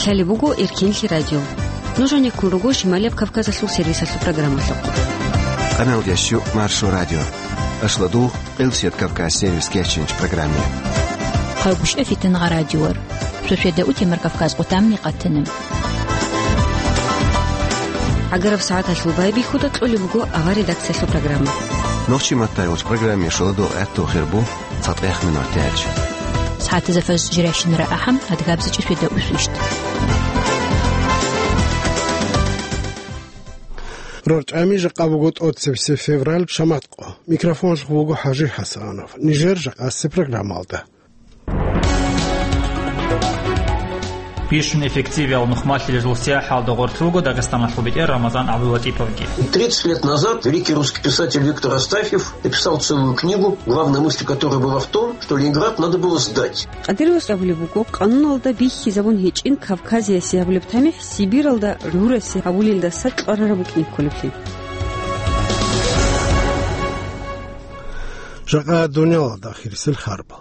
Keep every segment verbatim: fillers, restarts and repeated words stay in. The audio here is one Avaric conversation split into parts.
Гьале буго Эркинлъи радио. Нуж гьанеккун руго Шималияб Кавказалъул сервисалъул программалъухъ. Къаналдящу Маршо радио. Ашладу Къилсият Кавказ сервис кеченч программе. Хъагушев Фитнагъа радиор. Шошеда утемар Кавказ къутамни къатана. Агараб сагӀаталъул байбихьуда кьолеб буго авар редакциялъул программа. Нохчи маттайгъуч программе шоладу гӀатту хирбу. ЦатӀех минутач. СагӀатазда фаз жиращинара ахӀам, адгабзачӀи шведа усвищт. РорчӀами жакъа буго тӀоцебесеб февраль, шамат къо. Микрофонлъ вуго ХӀажи ХӀасанов. Нижер жакъасеб программалда. Бищун эффективиял нухмалъилезул сияхӀалда гъорлъ вуго Дагъистаналъул бетӀер Рамазан ГӀабдулатӀиповги. Тридцать лет назад великий русский писатель Виктор Астафьев написал целую книгу, главная мысль которой была в том, что Ленинград надо было сдать. Къадиров абулеб буго, къануналда бихьизабун гьечӀин Кавказиясе гьабулеб тамихӀ Сибиралда гӀурасе гьабулелдаса кьварараб букӀин кколеблъи. Жакъа дуниялалда ахирисел харбал.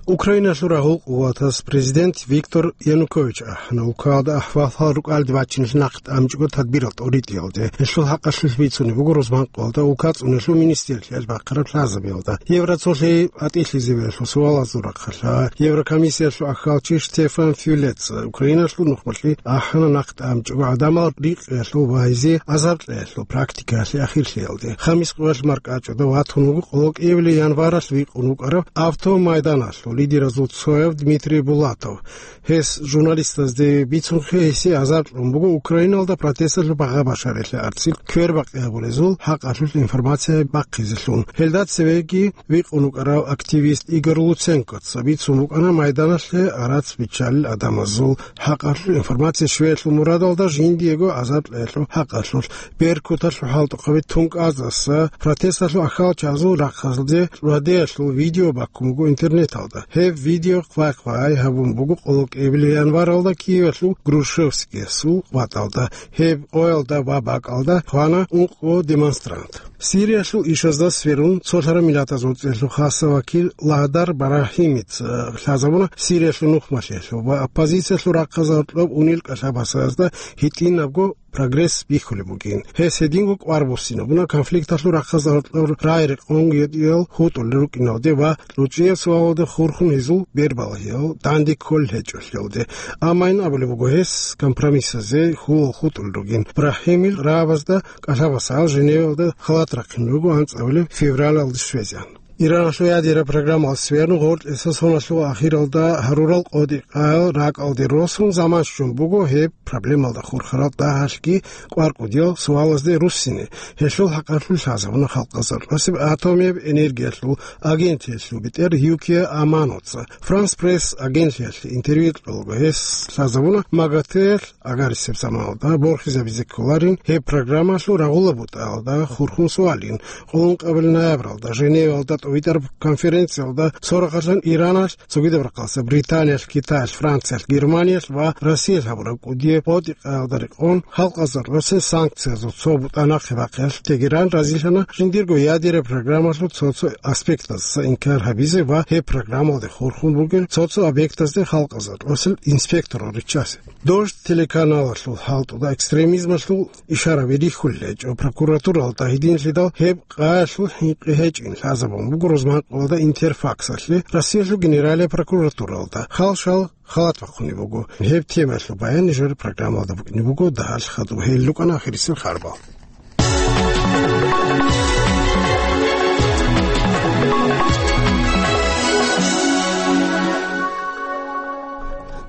Украиналъул рагьул къуватас президент Виктор Янукович ахӀана улкаялда ахвалал рукӀалде бачиналъе нахъ тӀамчӀого тадбирал тӀоритӀиялде. Гьелъул хӀакъалъулъ бицунеб буго рузманкъоялда улка цӀунулъул министрлъиялъ бахъараб лъазабиялда. Евроцолъи атӀилъизабиялъул суалазул рахъалъа Еврокомиссиялъул ахьалчи Штефан Фюлеца Украиналъул нухмалъе ахӀана нахъ тӀамчӀого гӀадамал рикъиялъул вагьизе азаркьеялъул практикаялъе ахирлъиялде. Хамис къоялъ маркӀачӀуда ватун вуго къоло кӀиабилеб январалъ вихъун вукӀарав автомайданалъул лидеразул цояв Дмитрий Булатов. Гьес журналистазде бицунхъе гьесие азар кьун буго Украиналда протесталъул багъа-башарилъи арцин квербакъи гьабулезул хӀакъалъулъ информация бахъизелъун. Гьелда цевеги вихъун вукӀарав активист Игорь Луценкоца бицун букӀана майданалъе арац биччалел адамазул хӀакъалъулъ информация щвеялъул мурадалда жиндиего азар кьеялъул хӀакъалъулъ. Беркуталъул хӀалтӀухъаби тункӀаздаса протесталъул ахьалчазул рахъалде радиоялъул видео баккун буго интернеталда. Гьеб видео хъвай-хъвай гьабун буго къоло кӀиабилеб январалда Киевалъул Грушевскиясул ватӀалда. Гьеб къоялда ва бакӀалда хвана ункъо демонстрант. Сириялъул ишазда сверун, цолъараб миллатазул цӀеялъул хасаб вакил Лагьдар Барагьимица лъазабуна Сириялъул нухмалъиялъул ва оппозициялъул рахъазарулъ унел кӀалъабасазда гьитӀинабго прогресс бихьулеб бугин. Гьес гьединго кӀвар буссинабуна конфликталъул рахъазарулъ рагӀи-рекъон гьитӀиял хутӀулел рукӀиналде ва кьучӀияб суалалда хурхун гьезул бербалагьиял данде кколел гьечӀолъиялде. Амма ин абулеб буго гьес компромиссазе хьулал хутӀулел ругин. Брагьимил рагӀабазда кӀалъабасал Женевалда халат рахъин руго анцӀабилеб февралалда щвезегӀан. Ираналъул ядераб программалъ сверун гъоркьиса соналъул ахиралда гьарурал къотӀи-къаял ракӀалде росун заман щун буго гьеб проблемалда хурхарал дагьалъги кӀвар-кӀудиял суалазде руссине. Гьелъул хӀакъалъулъ лъазабуна Халкъазарулъосеб атомияб энергиялъул агентиялъул бетӀер Юкия Аманоца. Франс Пресс агентлъиялъе интервью кьолго гьес лъазабуна МАГАТЭ-ялъ агарисеб заманалда борхизабизе кколарин гьеб программалъул рагъула бутӀаялда хурхун суалин. Къоло ункъабилеб ноябралда Женевалда тӀубитӀараб конференциялда цо рахъалъан Ираналъ, цогидаб рахъалъа Британиялъ, Китаялъ, Франциялъ, Германиялъ ва Россиялъ гьабураб кӀудияб къотӀи-къаялда рекъон, Халкъазарулъосин санкциязул цо бутӀа нахъе бахъиялъ Тегеран разилъана жиндирго ядераб программалъул цо-цо аспектаздаса инкар гьабизе ва гьеб программалде хурхун бугел цо-цо объектазде Халкъазарулъосил инспекторал риччазе. Дождь телеканалалъул хӀалтӀуда экстремизмалъул ишараби рихьулел гьечӀо прокуратуралда гьединлъидал гьеб къаялъул хӀинкъи гьечӀин лъазабун буго рузманкъоялда Интерфаксалъе Россиялъул Генералияб прокуратуралда. Хал-шал халат бахъунеб буго. Гьеб темаялъул баян нижер программалда букӀине буго. Дагьалъ хадуб гьел рукӀана ахирисел харбал.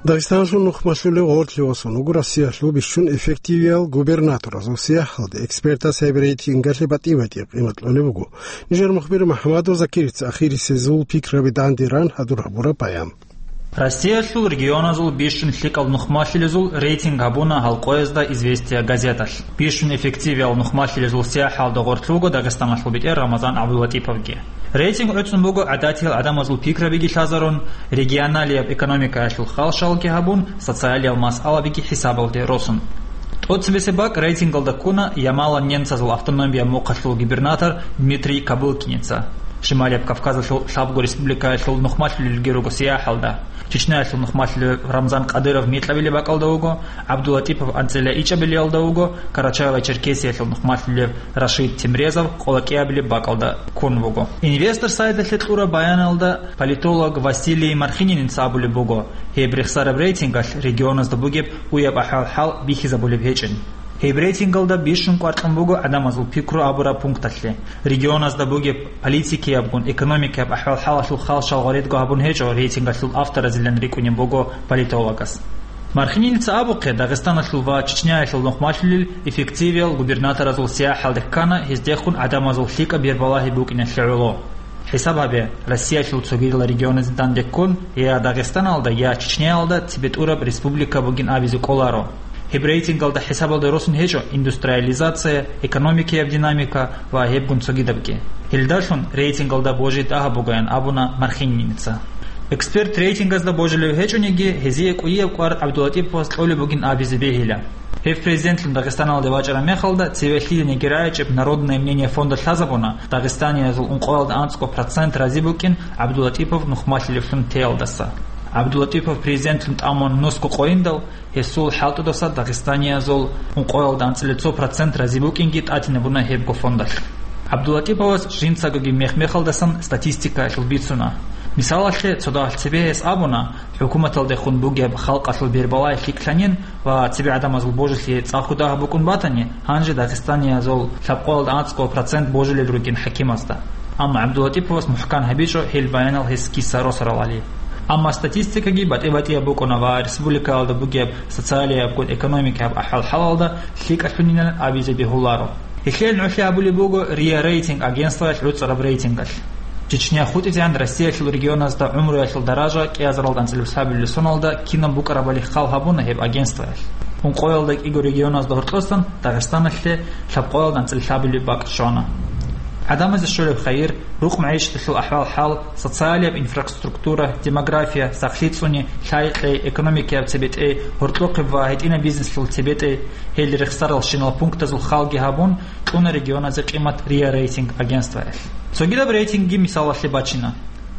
Дагъистаналъул нухмалъулев гъорлъе васун вуго Россиялъул бищун эффективиял губернаторазул сияхӀалде. Экспертаз гьеб рейтингалъе батӀи-батӀи къимат кьолеб буго. Нижер мухбир МухӀаммадов Закирица ахирисезул пикраби данде ран гьадур гьабураб баян. Россиялъул регионазул бищун лъикӀал нухмалъилезул рейтинг гьабуна гьал къоязда «Известия» газеталъ. Бищун эффективиял нухмалъилезул сияхӀалда гъорлъ вуго Дагъистаналъул бетӀер Рамазан ГӀабдулатӀиповги. Рейтинг гӀуцӀун буго гӀадатиял гӀадамазул пикрабиги лъазарун, регионалияб экономикаялъул хал-шалги гьабун, социалиял масъалабиги хӀисабалде росун. ТӀоцебесеб бакӀ рейтингалда ккуна Ямало-Ненцазул автономияб мухъалъул губернатор Дмитрий Кобылкиница. Шималияб Кавказалъул лъабго республикаялъул нухмалъулелги руго сияхӀалда. Чечняялъул нухмалъулев Рамзан Кадыров микьабилеб бакӀалда вуго, ГӀабдулатӀипов анцӀила ичӀабилиялда вуго, Карачаево-Черкесиялъул нухмалъулев Рашид Темрезов къолокӀиабилеб бакӀалда ккун вуго. Инвестор сайталъе кьураб баяналда политолог Василий Мархининица абулеб буго, гьеб рехсараб рейтингалъ регионазда бугеб уяб ахӀвал-хӀал бихьизабулеб гьечӀин. Гьеб рейтингалда бищун кӀвар кьун буго гӀадамазул пикру абураб пункталъе. Регионазда бугеб политикиябгун, экономикияб ахӀвал-хӀалалъул хал-шал гъоредго гьабун гьечӀо рейтингалъул авторазилан рикӀкӀунеб буго политологас. Мархининица абухъе, Дагъистаналъул ва Чечняялъул нухмалъулел эффективиял губернаторазул сияхӀалде ккана гьездехун гӀадамазул лъикӀаб бербалагьи букӀиналъе гӀоло. ХӀисаб гьабе, Россиялъул цогидал регионазде данде ккун, я Дагъистаналда, я Чечняялда цебетӀураб республика бугин абизе кӀоларо. Гьеб рейтингалда хӀисабалда росун гьечӀо индустриализация, экономикияб динамика ва гьебгун цогидабги. Гьелдалъун рейтингалда божи дагьаб бугоян абуна Мархининица. Эксперт рейтингазда божилев гьечӀониги, гьезие кӀудияб кӀвар ГӀабдулатӀиповас кьолеб бугин абизе бегьила. Гьев президентлъун Дагъистаналде вачӀараб мехалда цеве лъилениги рагӀичӀеб «Народное мнение» фонда лъазабуна, дагъистаниязул ункъоялда анцӀго процент рази букӀин ГӀабдулатӀипов нухмалъилевлъун теялдаса. ГӀабдулатӀипов президентлъун тӀамун нусго къойиндал, гьесул хӀалтӀудаса дагъистаниязул ункъоялда анцӀила цо процент рази букӀинги тӀатинабуна гьебго фондалъ. ГӀабдулатӀиповас жинцагоги мех-мехалдасан статистикаялъул бицуна. Мисалалъе, цо дагьалъ цебе гьес абуна, хӀукуматалдехун бугеб халкъалъул бербалай лъикӀлъанин ва цебе гӀадамазул божилъи цӀаху дагьаб букӀун батани, гьанже дагъистаниязул лъабкъоялда анцӀго процент божилел ругин хӀакимазда. Амма ГӀабдулатӀиповас мухӀкан гьабичӀо гьел баянал гьес киса росаралали. Амма статистикаги батӀи-батӀияб букӀуна ва республикаялда бугеб социалиябгун экономикияб ахӀвал-хӀалалда лъикӀалъунилан абизе бегьуларо. Гьелъие нугӀлъи гьабулеб буго РИА Рейтинг агентствоялъ гӀуцӀараб рейтингалъ. Чечня хутӀизегӀан Россиялъул регионазда гӀумруялъул даража кӀиазаралда анцӀила лъабабилеб соналда кинаб букӀарабали хал гьабуна гьеб агентствоялъ. Ункъоялда кӀиго регионазда гьоркьосан Дагъистаналъе лъабкъоялда анцӀила лъабабилеб бакӀ щвана. ГӀадамазе щолеб хайир, рукъ-магӀишаталъул ахӀвал-хӀал, социалияб инфраструктура, демография, сахлъи цӀуни, лъай-кьей, экономикаяб цебетӀей, гьоркьохъеб ва гьитӀинаб бизнеслъул цебетӀей, гьел рехсаралщинал пунктазул халги гьабун, кьуна регионазе къимат РИА Рейтинг агентствоялъ. Цогидаб рейтингги мисалалъе бачина.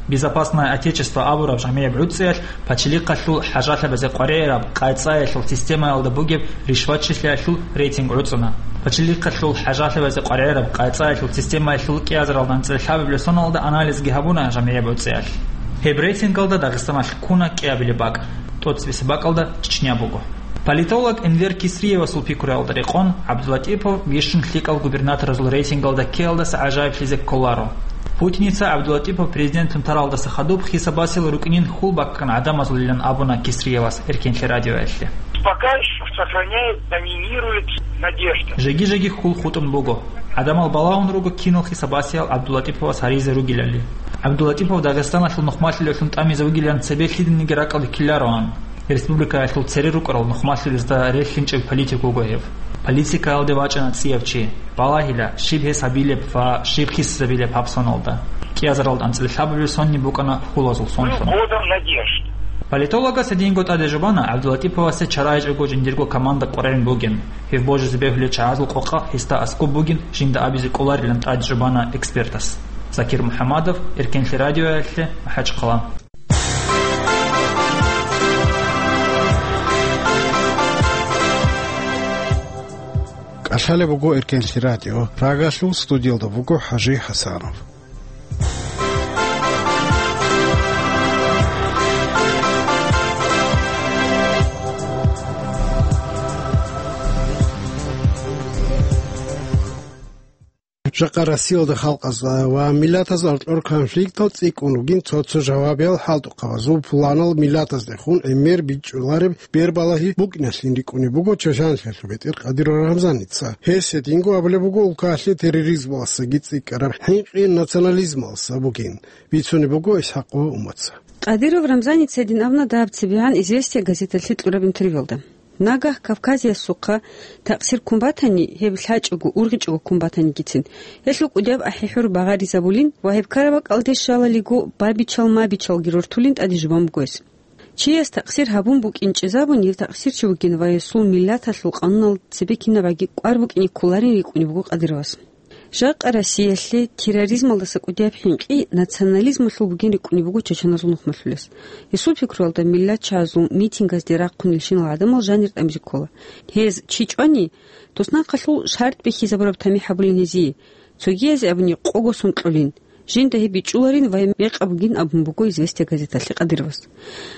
«Безопасное Отечество» абураб жамигӀиб гӀуцӀиялъ пачалихъалъул хӀажалъабазе къваригӀараб къайцӀаялъул системаялда бугеб ришватчилъиялъул рейтинг гӀуцӀуна. Пачалихъалъул хӀажалъабазе къваригӀараб къайцӀаялъул системаялъул кӀиазаралда анцӀила лъабабилеб соналда анализги гьабуна жамигӀиб гӀуцӀиялъ. Гьеб рейтингалда Дагъистаналъ ккуна кӀиабилеб бакӀ, тӀоцебесеб бакӀалда Чечня буго. Политолог Энвер Кисриевасул пикруялда рекъон, ГӀабдулатӀипов бищун лъикӀал губернаторазул рейтингалда ккеялдаса гӀажаиблъизе кколаро. Путиница ГӀабдулатӀипов президентлъун таралдаса хадуб хисабасел рукӀинин хьул баккана гӀадамазулилан абуна Кисриевас Эркенлъи радиоялъе. Пока ещё сохраняет, доминирует надежда. Жеги-жеги хьул хутӀун буго. ГӀадамал балагьун руго кинал хисабасиял ГӀабдулатӀиповас гьаризе ругилали. ГӀабдулатӀипов Дагъистаналъул нухмалъулевлъун тӀамизе вугилан цебе лъиданиги ракӀалде ккелароан. Республикаялъул цере рукӀарал нухмалъулезда релълъинчӀеб политик вуго гьев. Политикаялде вачӀана цӀияб чи. Балагьила, щиб гьес гьабилеб ва щиб хисизабилеб гьаб соналда. КӀиазаралда анцӀила лъабабилеб сонни букӀана хьулазул сонлъун. Годом надежд. Политологас гьединго тӀаде жубана ГӀабдулатӀиповасе чарайчӀого жиндирго команда къваригӀун бугин. Гьев божизе бегьулел чагӀазул къокъа гьесда аскӀоб бугин жинда абизе кӀоларилан тӀаде жубана экспертас. Закир МухӀамадов, Эркенлъи радиоялъе, МахӀачхъала. КӀалъалеб буго Эркенлъи радио. Прагалъул студиялда буго ХӀажи ХӀасанов. Жакъа Россиялда халкъазда ва миллатазда аркьор конфликтал цӀикӀкӀун ругин цо-цо жавабиял хӀалтӀухъабазул пуланал миллатаздехун гӀемер бичӀчӀулареб бербалагьи букӀиналъин рикӀкӀунеб буго Чолъанлъиялъул бетӀер Къадиров Рамзаница. Гьес гьединго абулеб буго улкалъе терроризмалдасаги цӀикӀкӀараб хӀинкъи национализмалдаса бугин, бицунеб буго ИсхӀакъова Умаца. Къадиров Рамзаница гьедин абуна дагьаб цебегӀан «Известия» газеталъе кьураб интервьюялда. Нагагь Кавказиясухъа такъсир ккун батани, гьеб лъачӀого, ургъичӀого ккун батанигицин, гьелъул кӀудияб ахӀи-хӀур багъаризабулин ва гьеб ккараб бакӀалде щвалалиго, бабичал-мабичалги рортулин тӀаде жубан буго гьес. Чияс такъсир гьабун букӀин чӀезабун, гьев такъсирчи вугин ва гьесул миллаталъул къануналда цебе кинабаги кӀвар букӀине кколарин рикӀкӀунеб буго Къадировас. Жакъа Россиялъе терроризмалдаса кӀудияб хӀинкъи национализмалъул бугин рикӀкӀунеб буго чачаназул нухмалъулес. Гьесул пикруялда, миллатчагӀазул митингазде рахъунелщинал гӀадамал жанир тӀамизе ккола. Гьез чи чӀвани, туснахъалъул шартӀ бихьизабураб тамихӀ гьабулин гьезие, цогиязе абуни къого сон кьолин, жинда гьеб бичӀчӀуларин ва мекъаб бугин абун буго «Известия» газеталъе Кадыровас.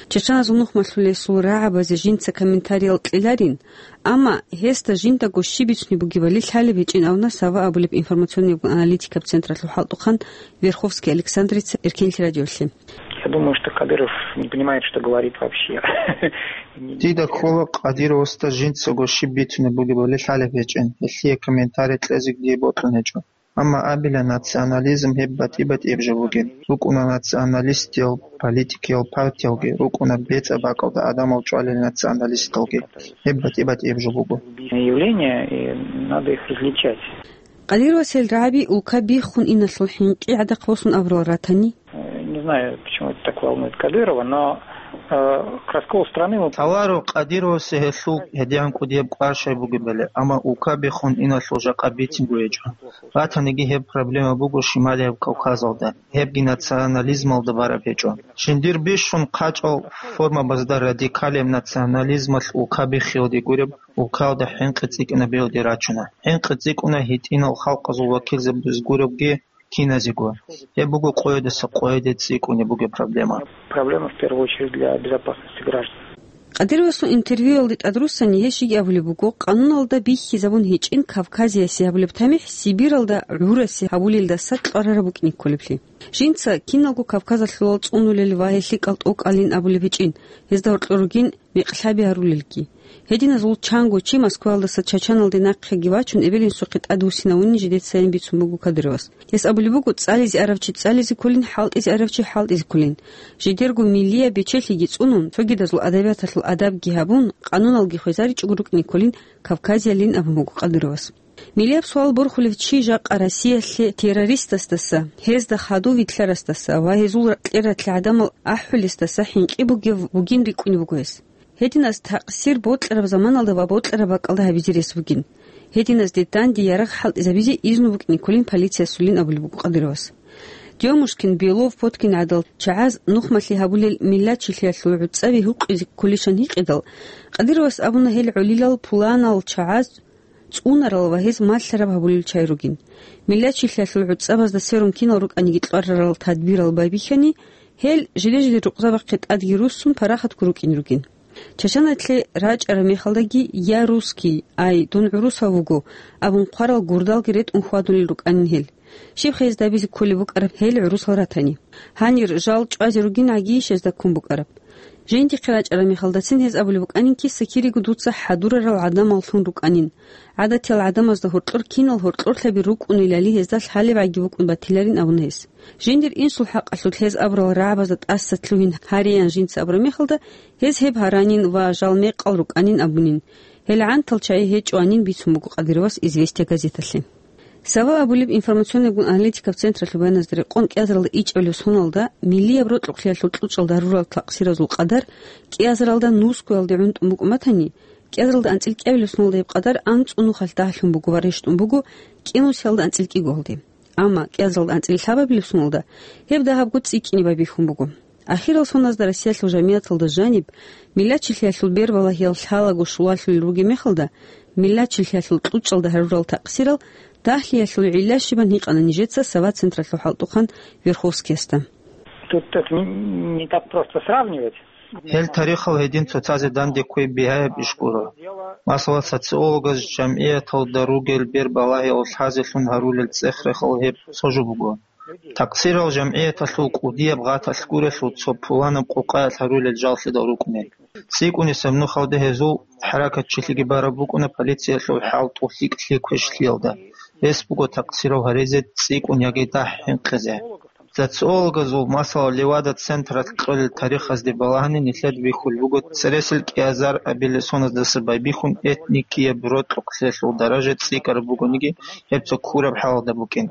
Чачаназул нухмалъулесул рагӀабазе жинца комментариял кьеларин, амма гьесда жиндаго щиб бицунеб бугебали лъалеб гьечӀин абуна Сава абулеб информационный-аналитикаб централъул хӀалтӀухъан Верховский Александрица Эркенлъи радиолъе. Я думаю, что Кадыров не понимает, что говорит вообще. Дида ккола, Кадыровасда жинцаго щиб бицунеб бугебали лъалеб гьечӀин, гьелъие комментарий кьезеги бокьун гьечӀо. Амма абила, национализм гьеб батӀи-батӀияб жо бугин. РукӀуна националистиял политикиял партиялги, рукӀуна бецӀа бакӀалда гӀадамал чӀвалел националисталги. Гьеб батӀи-батӀияб жо буго. Явление, и надо их различать. Кадыровас гьел рагӀаби улка биххун иналъул хӀинкъи гӀадахъ босун абурал ратани? Э, не знаю, почему это так волнует Кадырова, но, э, к расколу страны мы Тавару Кадыровасе гьелъул гьедигӀан кӀудияб кӀвар щай бугебали, амма улка биххун иналъул жакъа бицинго гьечӀо. Ратаниги гьеб проблема буго Шималияб Кавказалда, гьебги национализмалда бараб гьечӀо. Жиндир бищун хъачӀал формабазда радикалияб национализмалъ улка биххиялде гуреб, улкаялда хӀинкъи цӀикӀкӀинабиялде рачуна. ХӀинкъи цӀикӀкӀуна гьитӀинал халкъазул вакилзабаз гуребги киназего. Гьеб буго къоядаса къояде цӀикӀкӀунеб бугеб проблема. Проблема в первую очередь для безопасности граждан. Кадыровасул интервьюялде тӀадруссани гьес жеги абулеб буго, къануналда бихьизабун гьечӀин Кавказиясе гьабулеб тамихӀ Сибиралда гӀурасе гьабулелдаса кьварараб букӀине кколеблъи. Жинца киналго Кавказалъулал цӀунулел ва гьелъикӀал тӀокӀалин абулеб гьечӀин, гьезда гьоркьор ругин мекълъаби гьарулелги. Гьединазул чанго чи Москваялдаса Чачаналде нахъеги вачун, эбел-инсухъе тӀадвуссинавунин жидецайин бицун буго Кадыровас. Гьес абулеб буго, цӀализе арав чи цӀализе кколин, хӀалтӀизе арав чи хӀалтӀизе кколин. Жидерго миллияб бечелъиги цӀунун, цогидазул адабияталъул адабги гьабун, къануналги хвезаричӀого рукӀине кколин Кавказиялин абун буго Кадыровас. Миллияб суал борхулев чи жакъа Россиялъе террористасдаса, гьезда хадув вилълъарасдаса ва гьезул кьератлъи гӀадамал ахӀулесдаса хӀинкъи бугев вугин рикӀкӀунеб буго гьес. Гьединаз такъсир бокьараб заманалда ва бокьараб бакӀалда гьабизе рес бугин. Гьединазде данде ярагъ хӀалтӀизабизе изну букӀине кколин полициясулин абулеб буго Кадыровас. Демушкин, Белов, Поткин гӀадал чагӀаз нухмалъи гьабулел миллатчилъиялъул гӀуцӀаби гьукъизе кколищан гьикъидал, Кадыровас абуна гьел гӀолилал пуланал чагӀаз цӀунарал ва гьез малъараб гьабулел чагӀи ругин. Миллатчилъиялъул гӀуцӀабазда сверун кинал рукӀаниги кьварарал тадбирал байбихьани, гьел жиде-жиде рукъзабахъе тӀадги руссун парахатго рукӀин ругин. Чачаналъе рачӀараб мехалдаги «Я русский», ай, дун гӀурусав вуго, абун хъварал гурдалги ретӀун хьвадулел рукӀанин гьел. Щибха гьезда абизе кколеб букӀараб гьел гӀурусал ратани? Гьанир жал чӀвазе ругин гӀагийищ гьезда ккун букӀараб? Жиндихъе рачӀараб мехалдацин гьез абулеб букӀанин, киса-кириго дуца хӀадурарал гӀадамаллъун рукӀанин. ГӀадатиял гӀадамазда гьоркьор кинал гьоркьорлъаби рукӀунелали гьезда лъалеб гӀаги букӀун батиларин абуна гьес. Жиндир инсул хӀакъалъулъ гьез абурал рагӀабазда тӀаса лъугьин гьариян жинца абураб мехалда, гьез гьеб гьаранин ва жал мекъал рукӀанин абунин. Гьел гӀантал чагӀи гьечӀоанин бицун буго Кадыровас «Известия» газеталъе. Сава абулеб информационный-аналитикаб централъул баяназда рекъон, кӀиазаралда ичӀабилеб соналда миллияб рокьукълъиялъул кьучӀалда гьарурал такъсиразул къадар кӀиазаралда нускуялде гӀунтӀун букӀун батани, кӀиазаралда анцӀил кӀиабилеб соналда гьеб къадар анцӀго нухалъ дагьлъун буго ва рещтӀун буго кӀинусиялда анцӀил кӀигоялде. Амма кӀиазаралда анцӀил лъабабилеб соналда гьеб дагьабго цӀикӀкӀине байбихьун буго. Ахирал соназда Россиялъул жамигӀаталда жаниб, миллатчилъиялъул бербалагьиял лъалаго щулалъулел ругеб мехалда, миллатчилъиялъул кьучӀалда гьарурал такъсирал дагьлъиялъул гӀилла щибан гьикъана нижеца Сава централъул хӀалтӀухъан Верховскиясда. Тут это не, не так просто сравнивать. Гьел тарихал гьедин цоцазе данде кквей бигьаяб иш гуро. Масала, социологаз жамгӀияталда ругел бербалагьиял лъазелъун гьарулел цӀех-рехал гьеб цо жо буго. Такъсирал жамгӀияталъул кӀудияб гъаталъ гурелъул цо пуланаб къокъаялъ гьарулел жаллъидал рукӀунел. ЦӀикӀкӀунесеб нухалде гьезул хӀаракатчилъиги бараб букӀуна полициялъул хӀалтӀулъи квешлъиялда. Гьес буго такъсирав гьаризе цӀикӀкӀун яги дагь хӀинкъизе. Социологазул, масала, Левада централъ кьолел тарихазде балагьани нилъеда бихьулеб буго цересел кӀиазар абилеб соназдаса байбихьун этникияб рокьукълъиялъул даража цӀикӀкӀараб бугониги, гьеб цо ккураб хӀалалда букӀин.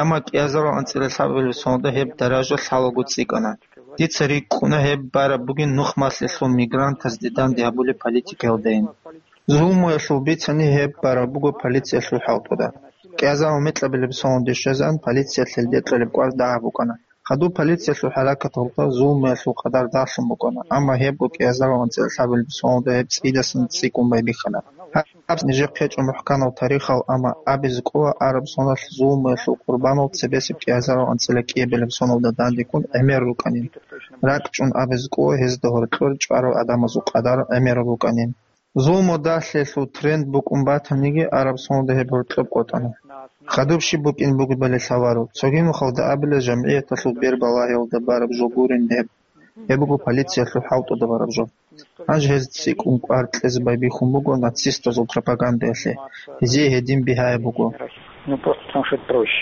Амма кӀиазарал анцӀила лъабабилеб соналда гьеб даража лъалаго цӀикӀкӀана. Дица рикӀкӀуна гьеб бараб бугин нухмалъиялъул мигрантазде данде гьабулеб политикаялдайин. Зулмуялъул бицани гьеб бараб буго полициялъул хӀалтӀуда. КӀиазарал микьабилеб соналде щвезегӀан полициялъ гьелде кьолеб кӀвар дагьаб букӀана. Хадуб полициялъул хӀаракаталда зулмуялъул къадар дагьлъун букӀана, амма гьебго кӀиазарал анцӀила лъабабилеб соналда гьеб цӀидасан цӀикӀкӀун байбихьана. Гьаб нижехъе гьечӀо мухӀканав тарихал, амма абизе кӀола араб соналъ зулмуялъул къурбанал цебесеб кӀиазарал анцӀила кӀиабилеб соналда дандеккун гӀемер рукӀанин. РакӀчӀун абизе кӀола гьезда гьоркьор чӀварал гӀадамазул къадар гӀемераб букӀанин. Зулму дагьлъиялъул тренд букӀун батаниги, араб соналда гьеб гьоркьоб къотӀана. Хадуб щиб букӀин бугебали лъаларо. Цоги нухалда абила, жамгӀияталъул бер балагьиялда бараб жо гурин гьеб. Гьеб буго полициялъул хӀалтӀуда бараб жо. Гьанже гьез цӀикӀкӀун кӀвар кьезе байбихьун буго нацистазул пропагандаялъе. Гьезие гьедин бигьаяб буго. Ну, просто потому что это проще.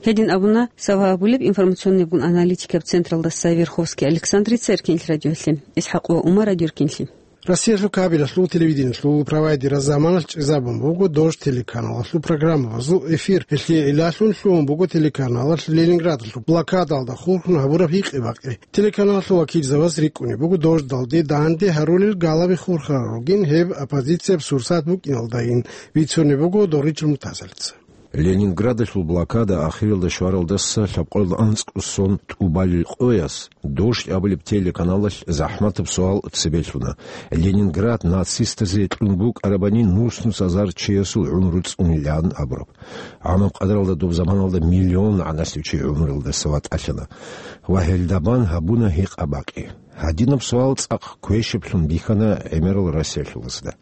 Гьедин абуна Сава абулеб информационныйгун аналитикаб централдаса Верховский Александрица эркенлъи радиоялъе. ИсхӀакъ ва Умар радиоэркенлъи. Россиялъул кабелалъул, телевидениялъул провайдераз заманалъ чӀезабун буго Дождь телеканалалъул программабазул эфир. Гьелъие гӀиллалъун лъугьун буго телеканалалъ Ленинградалъул блокадалда хурхун гьабураб гьикъи-бакъи. Телеканалалъул вакилзабаз рикӀкӀунеб буго Дождьдалде данде гьарулел галаби хурхарал ругин, гьеб оппозицияб сурсат букӀиналдайин, бицунеб буго Доричил Мутазалица. Ленинградалъул блокада ахиралда щваралдаса лъабкъоялда анцӀго сон тӀубалел къояс Дождь абулеб телеканалалъ захӀматаб суал цебе лъуна: Ленинград нацистазе кьун букӀарабани нус-нусазар чиясул гӀумру цӀунилан абураб. ГӀамаб къадаралда доб заманалда миллион гӀанасев чи гӀумруялдаса ватӀалъана ва гьелда бан гьабуна гьикъа-бакъи. Гьадинаб суал цӀакъ квешаблъун бихьана гӀемерал россиялъулазда.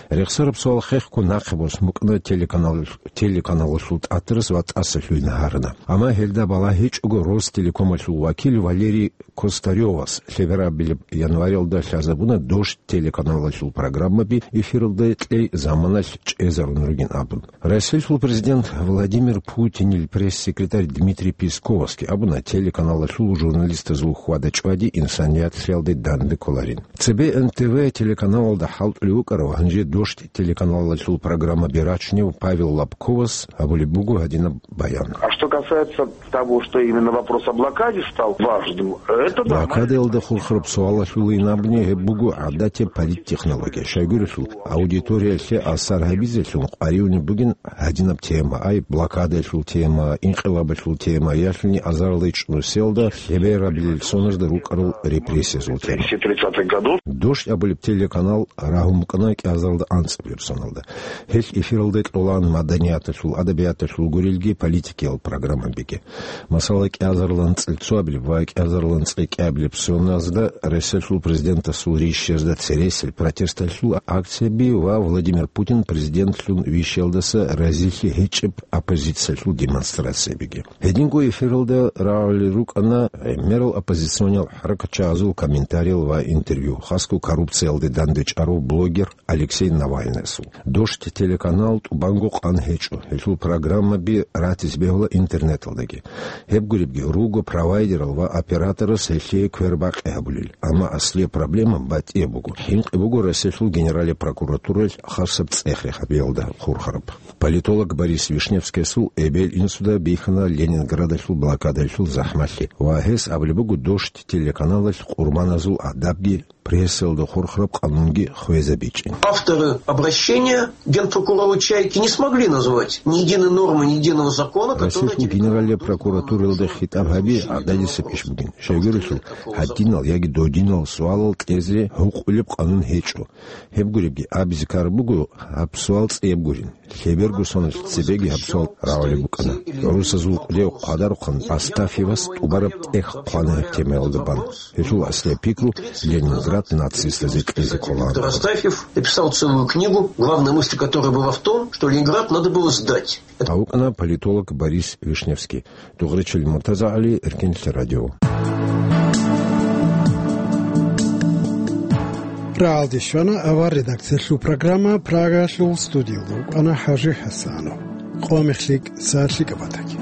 Рехсараб суал хехго нахъе босун букӀана телеканал-, телеканалалъул тӀатарас ва тӀаса лъугьине гьарана. Амма гьелда балагь гьечӀого Ростелекомалъул вакил Валерий Костарёвас лъеберабилеб январалда лъазабуна Дождь телеканалалъул программаби эфиралда кьей заманалъ чӀезарун ругин абун. Россиялъул президент Владимир Путинил пресс-секретарь Дмитрий Песковасги абуна, телеканалалъул журналистазул хьвада-чӀвади инсанияталъе данде кколарин. Цебе Н Т В телеканалалда хӀалтӀулев вукӀарав, гьанже Дождь телеканалалъул программаби рачунев Павел Лобковас гьабулеб буго гьадинаб баян. А что касается того, что именно вопрос о блокаде стал важным, это нормально. Блокадаялда хурхараб суалалъулин абуни, гьеб буго гӀадатияб политтехнология. Щайгурелъул, аудиториялъе асар гьабизелъун къваригӀунеб бугин гьадинаб тема, ай, блокадаялъул тема, инкъилабалъул тема, ялъуни азарилда ичӀнусиялда лъеберабилел соназда рукӀарал репрессиязул тема. Тридцатых годов. Дождь абулеб телеканал рагьун букӀана кӀиазарилда анцӀабилеб соналда. Гьелъ эфиралда кьолаан маданияталъул, адабияталъул гурелги политикиял программабиги. Масала, кӀиазарилан цӀилцоабилеб ва кӀиазарилан цӀикӀкӀабилеб соназда Россиялъул президентасул рищиязда цересел протесталъул акцияби ва Владимир Путин президентлъун вищиялдаса разилъи гьечӀеб оппозициялъул демонстрациябиги. Гьединго эфиралда рагӀулел рукӀана гӀемерал оппозициониял хӀаракатчагӀазул комментариял ва интервью, хасго коррупциялде дандечӀарав блогер Алексей Навальныйасул. Дождь телеканал тӀубанго къан гьечӀо, гьелъул программаби ратизе бегьула интернеталдаги. Гьеб гуребги, руго провайдерал ва операторас гьелъие квербакъи гьабулел. Амма аслияб проблема батӀияб буго. ХӀинкъи буго Россиялъул Генералияб прокуратуралъ хасаб цӀех-рехабиялда хурхараб. Политолог Борис Вишневскиясул эбел-инсуда бихьана Ленинградалъул блокадалъул захӀмалъи ва гьес абулеб буго Дождь телеканалалъ къурбаназул адабги прессалда хурхараб къанунги хвезабичӀин. Авторы обращения генпрокурору Чайки не смогли назвать ни единой нормы, ни единого закона, который... Россиялъул Генералияб прокуратуралда хитӀаб гьаби гӀададисеб иш бугин. Щайгурелъул, гьадинал яги додинал суалал кьезе гьукъулеб къанун гьечӀо. Гьеб гуребги, абизе ккараб буго, гьаб суал цӀияб гурин. Лъеберго соналъ цебеги гьаб суал рагӀулеб букӀана. ГӀурусазул кӀудияв хъвадарухъан Астафьевас тӀубараб тӀех хъвана гьеб темаялда бан. Гьелъул аслияб пикру Ленинград нацистазе кьезе кколаан. Астафьев написал целую книгу, главная мысль которой была в том, что Ленинград надо было сдать. Гьав вукӀана политолог Борис Вишневский. Дугъричил МуртазагӀали, Эркенлъи радио. РагӀалде щвана авар редакциялъул программа, Прагалъул студиялда вукӀана ХӀажи ХӀасанов. Къоамехлъи, сагӀатлъи кӀабатаги.